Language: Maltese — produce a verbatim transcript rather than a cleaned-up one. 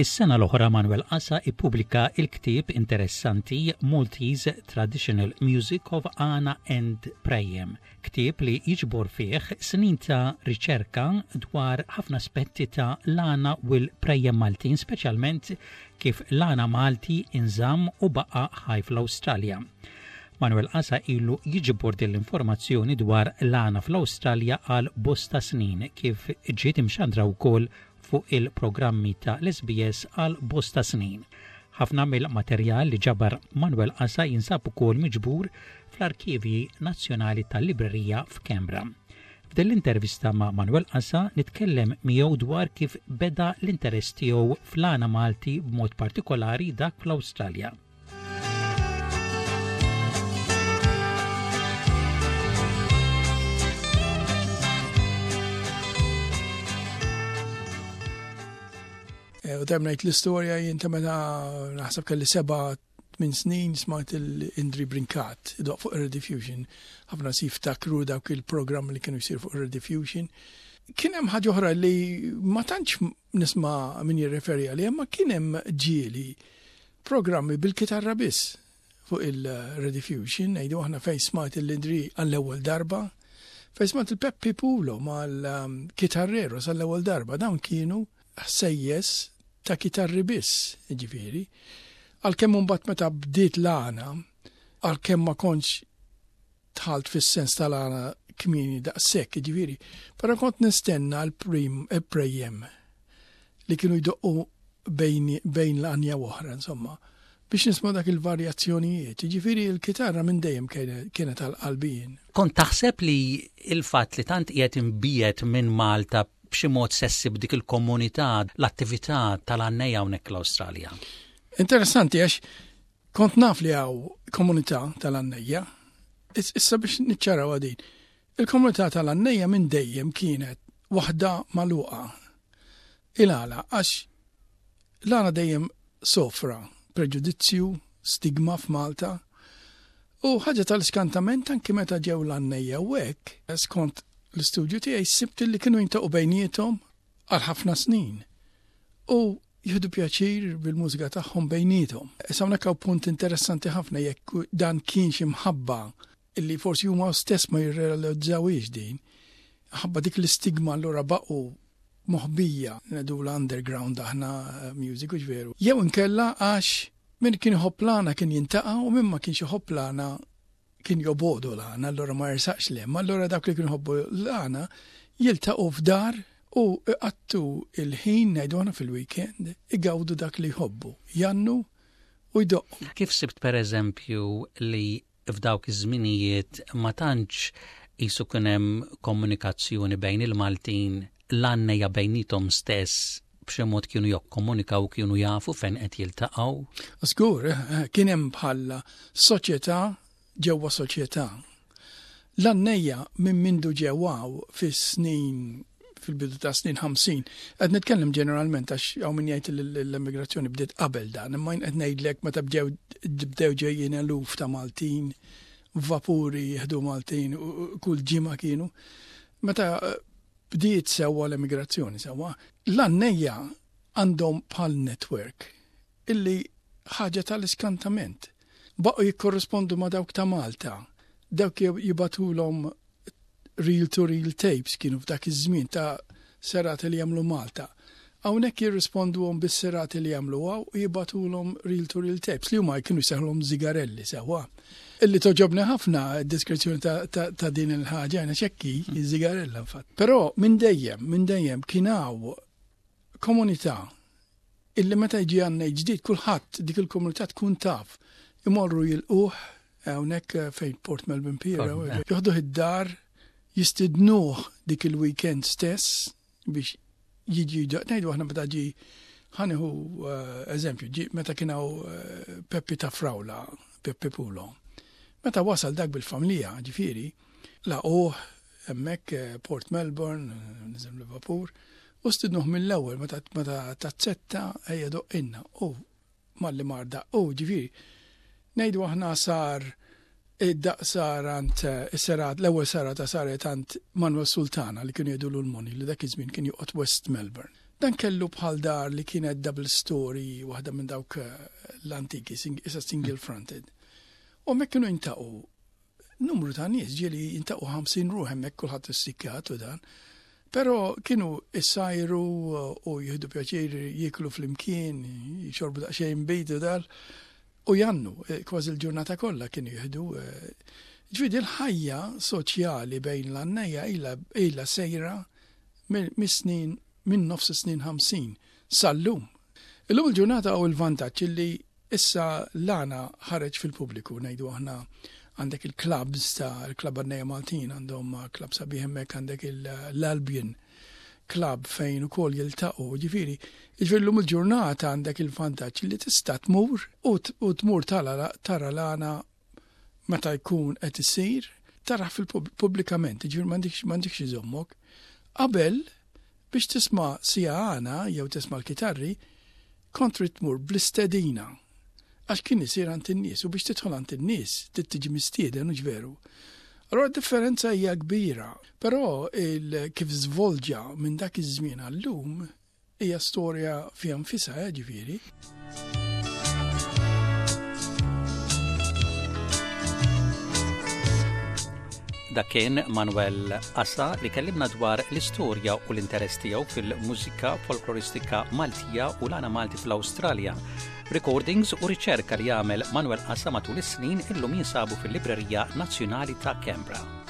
Is-sena l-oħra Manuel Casa ippubblika il-ktieb interessanti Maltese Traditional Music of Għana and Prejjem, ktieb li jiġbor fih snin ta' riċerka dwar ħafna aspetti ta' l-għana u l-prejjem Maltin, speċjalment kif l-għana Malti inżamm u baqa' ħaj fl-Awstralja. Manuel Casa ilu jiġbor din l-informazzjoni dwar l-għana fl-Awstralja għal bosta snin, kif ġiet imxandra wkoll fuq il-programmi ta' l-S B S għal bosta snin. Ħafna mill-materjal li ġabar Manuel Casa jinsab ukoll miġbur fl-Arkivji Nazzjonali tal-Librerija f'Canberra. F'din l-intervista ma' Manuel Casa nitkellem miegħu dwar kif beda l-interess tiegħu fl-għana Malti, b'mod partikolari dak fl-Awstralja. Eh, u dejjem ngħid l-istorja jien ta' meta naħseb kelli seba' minn snin smajt il-Indri Brincat idoqq fuq Rediffusion. Ħafna si jiftakru dawk il-programm li kienu jsir fuq Rediffusion. Kien hemm ħaġa oħra li ma tantx nisma' min jirreferi għaliha, ma kien hemm ġieli programmi bil-kitarra biss fuq il-Rediffusion, ngħidu aħna fejn smajt il-Indri għall-ewwel darba, fejn smajt il-Peppi Pulo mal-Kitarrero sal-ewwel darba, dawn kienu ħsejjes ta' kitarri biss, ġifieri. Għalkemm mbagħad meta bdiet l-għana, għalkemm ma kontx dħalt fis-sens tal-għana kmieni daqshekk, ġifieri, però kont nistenna l-prim il-prejjem li kienu jdoqqu bejn, bejn l-għanja u oħra, insomma, biex nisma' dak il-varjazzjonijiet. Ġifieri l-kitarra minn dejjem kienet għal qalbi jien. Kont taħseb li il-fatt li tant qiegħed imbiegħed minn Malta b'xi mod se ssib dik il-komunità, l-attività tal-għannejja hawnhekk l-Awstralja? Interessanti għax kont naf li hawn komunità tal-għannejja. Issa biex niċċaraw din. Il-komunità tal-għannejja minn dejjem kienet waħda magħluqa. Il-għala, għax l-għana dejjem sofra preġudizzju, stigma f'Malta. U ħaġa tal-iskantament, anki meta ġew l-għannejja u hekk, skont l-istudju tiegħi sibt li kienu jiltaqgħu bejniethom għal ħafna snin. U jieħdu pjaċir bil-mużika tagħhom bejniethom. Issa hawnhekk hawn punt interessanti ħafna, jekk dan kienx imħabba illi forsi huma stess ma jirrealizzawix din. Ħabba dik l-istigma allura baqgħu moħbija, ngħidu l-underground aħna eh, music, u veru. Jew inkella għax min kien iħobb l-għana kien jiltaqa' u min ma kienx iħobb l-għana kien jobogħdu l-għana, allura ma jersaqx 'l hemm. Allura dak li kien iħobbu l-għana jiltaqgħu f'dar u iqattgħu il-ħin, ngħidu aħna fil-weekend, igawdu dak li jħobbu, jgħannu u jdoqqu. Kif sibt, per eżempju, li f'dawk iż-żminijiet ma tantx qisu kien hemm komunikazzjoni bejn il-Maltin, l-għannejja bejniethom stess b'xi mod kienu jokkomunikaw, kienu jafu fejn qed jiltaqgħu? Żgur, eh, kien hemm bħala soċjetà ġewwa soċjetà. L-għannejja minn mindu ġew hawn fis-snin fil-bidu ta' snin ħamsin, qed nitkellem ġeneralment għax hawn min jgħid li l-immigrazzjoni bdiet qabel dan, imma jien qed ngħidlek meta bdew bdew ġejjin eluf ta' Maltin, vapuri jieħdu Maltin u kull ġimgħa kienu. Meta eh, bdiet sewwa l-immigrazzjoni sewwa, l-għannejja għandhom bħal network illi ħaġa tal-iskantament. Baqgħu jikkorrispondu ma' dawk ta' Malta. Dawk jibagħtulhom reel-to-reel tapes kienu f'dak iż-żmien ta' serati li jagħmlu Malta. Hawnhekk jirrisponduhom bis-serati li jagħmlu hawn u jibagħtulhom reel-to-reel tapes li huma kienu jsejħulhom zigarelli sewwa. Illi togħġobni ħafna d-deskrizzjoni ta', ta, ta din il-ħaġa, jiena ċekki, zigarella infatti. Però minn dejjem, minn dejjem kien hawn komunità illi meta jiġi għannej ġdid, kulħadd, dik il-komunità tkun taf. Imorru jilqgħuh hawnhekk fejn Port Melbourne Pier, joħduh id-dar, jistidnuh dik il-weekend stess biex jiġi. Ngħidu aħna meta ġi, ħa nieħu eh, eżempju, ġi meta kien hawn eh, Peppi ta' Frawla, Peppi Pulo. Meta wasal dak bil-familja, ġifieri, laqgħuh hemmhekk eh, Port Melbourne, niżel Liverpool, u stidnuh mill-ewwel meta meta taċċetta, ejja doqqilna. U malli mar daqq, u ġifieri, ngħidu aħna sar id-daqq sar għand is-serat, l-ewwel serata saret għand Manuel Sultana li kienu jgħidu l-Moni, li dak iż-żmien kien joqgħod West Melbourne. Dan kellu bħal dar li kienet double story, waħda minn dawk eh, l-antiki, issa single fronted. U hemmhekk kienu jiltaqgħu numru ta' nies, ġieli jiltaqgħu ħamsin ruħ hemmhekk, kulħadd issikkat u dan. Però kienu issajru u jieħdu pjaċir jieklu flimkien, jixorbu daqsxejn nbid u dal, u jgħannu, eh, kważi l-ġurnata kollha kienu jieħdu. Eh, ġifieri l-ħajja soċjali bejn l-għannejja ilha sejra mis-snin, minn nofs snin ħamsin sal-lum. Illum il-ġurnata u l-vantaġġ li issa l-għana ħareġ fil-pubbliku, ngħidu aħna għandek il-clubs ta' il-Club Għannejja Maltin, għandhom club sabiħ hemmhekk, għandek l-Albion Club fejn ukoll jiltaqgħu, ġifieri, ġifieri llum il-ġurnata għandek il-vantaġġ li tista' tmur u tmur tara l-għana meta jkun qed isir, tara fil-pubblikament, ġifieri m'għandekx iżommok. Qabel, biex tisma' siegħa għana jew tisma' l-kitarri, kont trid tmur bl-istedina. Għax kien isir għand in-nies u biex tidħol għand in-nies trid tiġi mistieden, u veru. Allora differenza hija kbira, però il kif żvolġa minn dak iż-żmien għal-lum hija storja fiha nfisha, eh, ġifieri. Dak kien Manuel Assa li kellimna dwar l-istorja u l-interess tiegħu fil-mużika folkloristika Maltija u l-għana Malti fl-Awstralja. Recordings u riċerka li għamel Manuel Assa matul is-snin illum jinsabu fil-Librerija Nazzjonali ta' Canberra.